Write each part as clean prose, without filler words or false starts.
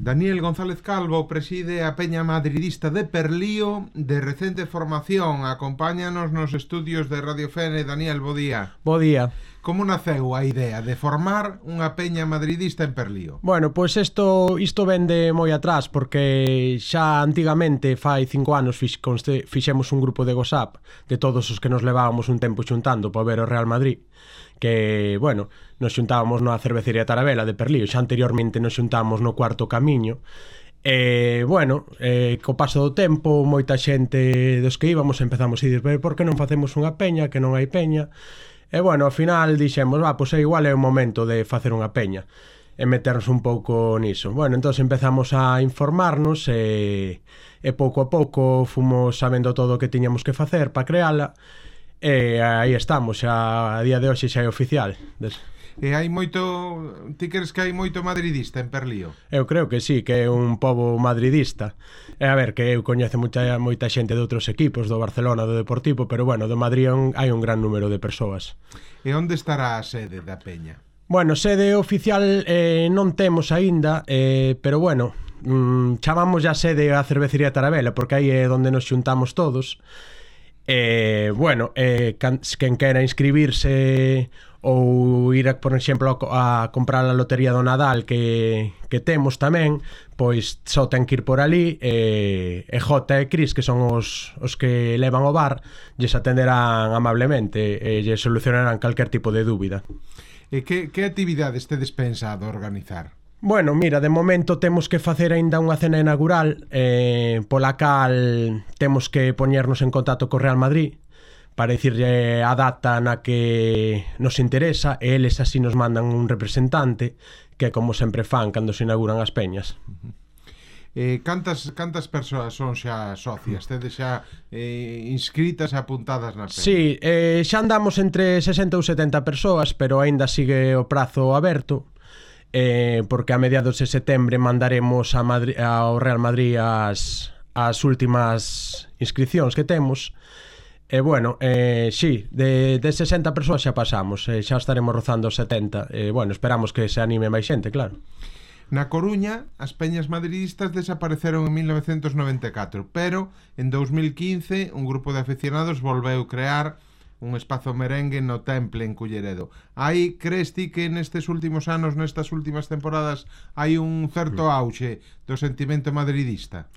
Daniel González Calvo preside a Peña Madridista de Perlío, de recente formación. Acompáñanos nos estudios de Radio Fene. Daniel, bo día. Bo día. Como naceu a idea de formar unha peña madridista en Perlío? Bueno, pois isto vende moi atrás, porque xa antigamente, fai 5 anos, fixemos un grupo de WhatsApp de todos os que nos levábamos un tempo xuntando para ver o Real Madrid, que, bueno, nos xuntábamos na cervecería Tarabela de Perlío, xa anteriormente nos xuntábamos no Cuarto Camiño. Co paso do tempo, moita xente dos que íbamos empezamos a dir, por que non facemos unha peña, que non hai peña? E, bueno, ao final dixemos, pois igual é o momento de facer unha peña e meternos un pouco niso. Bueno, entón empezamos a informarnos e pouco a pouco fomos sabendo todo o que tiñamos que facer para creala e aí estamos, xa a día de hoxe xa é oficial. E hai moito... Ti crees que hai moito madridista en Perlío? Eu creo que sí, que é un pobo madridista. E a ver, que eu coñezo moita xente de outros equipos, do Barcelona, do Deportivo, pero bueno, do Madrid hai un gran número de persoas. E onde estará a sede da peña? Bueno, sede oficial non temos aínda, pero bueno, chamamos a sede a cervecería Tarabela, porque aí é onde nos xuntamos todos. Quen quera inscribirse ou ir, por exemplo, a comprar a lotería do Nadal que temos tamén, pois só ten que ir por ali e Jota e Cris, que son os que levan o bar, lles atenderán amablemente e lles solucionarán calquer tipo de dúbida. E que actividades tedes pensado organizar? Bueno, mira, de momento temos que facer aínda unha cena inaugural pola cal temos que poñernos en contacto co Real Madrid para dicirlle a data na que nos interesa e eles así nos mandan un representante que como sempre fan cando se inauguran as peñas. Cantas persoas son xa socias? Tedes xa inscritas e apuntadas na peña? Sí, xa andamos entre 60 ou 70 persoas, pero aínda sigue o prazo aberto, porque a mediados de setembro mandaremos ao Real Madrid as últimas inscripcións que temos. Sí, de 60 persoas xa pasamos, xa estaremos rozando os 70. Esperamos que se anime máis xente, claro. Na Coruña, as peñas madridistas desapareceron en 1994, pero en 2015 un grupo de aficionados volveu crear un espazo merengue no Temple en Culleredo. Aí crees ti que nestes últimos anos, nestas últimas temporadas, hai un certo auxe do sentimento madridista?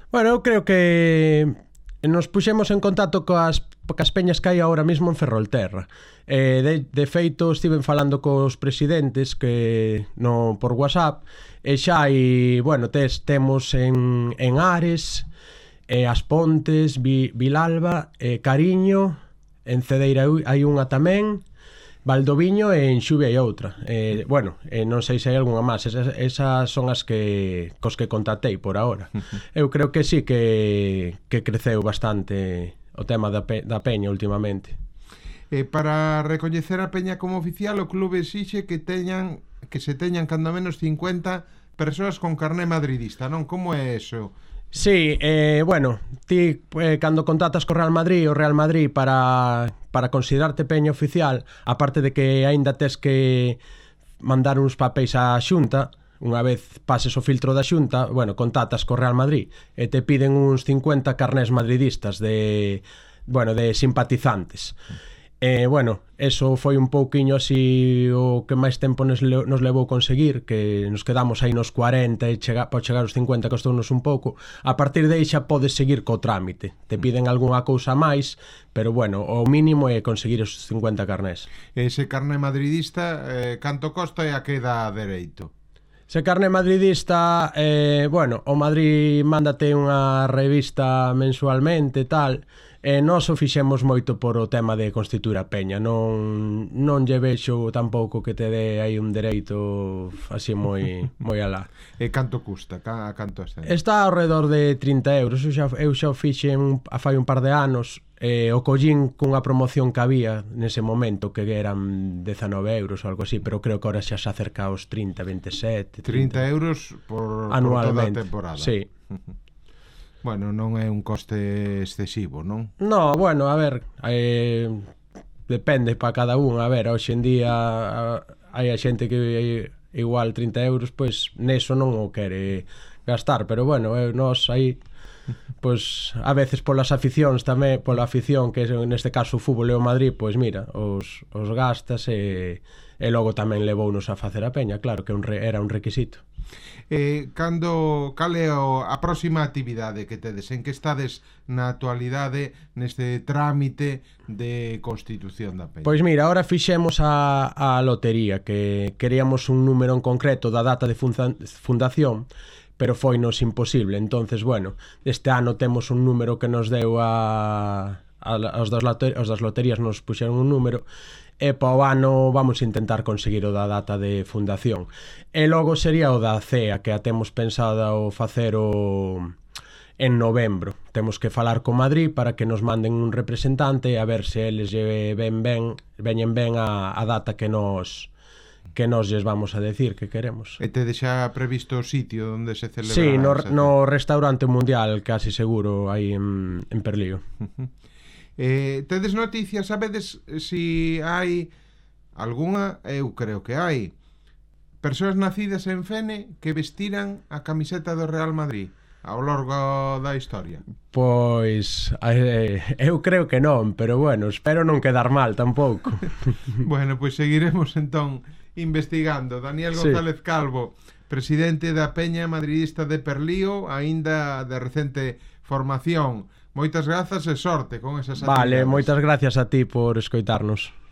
Bueno, eu creo que nos puxemos en contacto coas peñas que hai ahora mesmo en Ferrolterra. De feito, estiven falando cos presidentes por WhatsApp e xa hai, temos en Ares, As Pontes, Vilalba, Cariño, en Cedeira hai unha tamén, Valdoviño e en Xuvia hai outra. Non sei se hai algunha máis. Esas son as cos que contactei por ahora. Eu creo que sí que creceu bastante o tema da peña últimamente. Para recoñecer a peña como oficial, o clube exixe que se teñan cando menos 50 persoas con carné madridista, non? Como é eso? Sí, ti cando contactas co Real Madrid, o Real Madrid para considerarte peña oficial, aparte de que aínda tes que mandar uns papéis á Xunta, unha vez pases o filtro da Xunta, contactas co Real Madrid e te piden uns 50 carnés madridistas de simpatizantes. Eso foi un pouquiño así o que máis tempo nos levou conseguir, que nos quedamos aí nos 40 e para chegar aos 50 costounos un pouco. A partir de aí xa podes seguir co trámite, te piden algunha cousa máis, pero o mínimo é conseguir os 50 carnés. Ese carné madridista, canto costa e a que dá dereito? Se carné madridista, o Madrid mándate unha revista mensualmente e tal, e nós o fixemos moito por o tema de constituir a peña. Non lle vexo tampouco que te dé aí un dereito así moi alá. E canto custa? Canto ascende? Está ao redor de 30 euros. Eu xa o fixen fai un par de anos. O collín cunha promoción que había nese momento, que eran 19 euros ou algo así, pero creo que ahora xa se acerca aos 30, 27 30 euros por toda a temporada. Sí. Non é un coste excesivo, non? No, a ver, depende para cada un. A ver, hoxe en día hai a xente que igual 30 euros, pois neso non o quere gastar, pero bueno, nós aí pois a veces polas aficións tamén, pola afición que neste caso o fútbol e o Madrid, pois mira, os gastas e logo tamén levounos a facer a peña, claro que era un requisito. Cal é a próxima actividade que tedes? En que estades na actualidade neste trámite de constitución da peña? Pois mira, ahora fixemos a lotería, que queríamos un número en concreto da data de fundación, pero foinos imposible. Entonces, bueno, este ano temos un número que nos deu os das loterías nos puxeron un número, e para o ano vamos a intentar conseguir o da data de fundación. E logo sería o da CEA, que a temos pensado facer en novembro. Temos que falar con Madrid para que nos manden un representante a ver se eles veñen ben a data que nos lles vamos a decir que queremos. E tedes xa previsto o sitio onde se celebrará? Sí, no Restaurante Mundial, casi seguro, aí en Perlío. Tedes noticias, sabedes si hai algunha, eu creo que hai, persoas nacidas en Fene que vestiran a camiseta do Real Madrid ao longo da historia? Pois eu creo que non, pero bueno, espero non quedar mal tampouco. Bueno, pois seguiremos entón investigando. Daniel González Calvo, presidente da Peña Madridista de Perlío, aínda de recente formación. Moitas grazas e sorte con esas actividades. Vale, moitas gracias a ti por escoitarnos.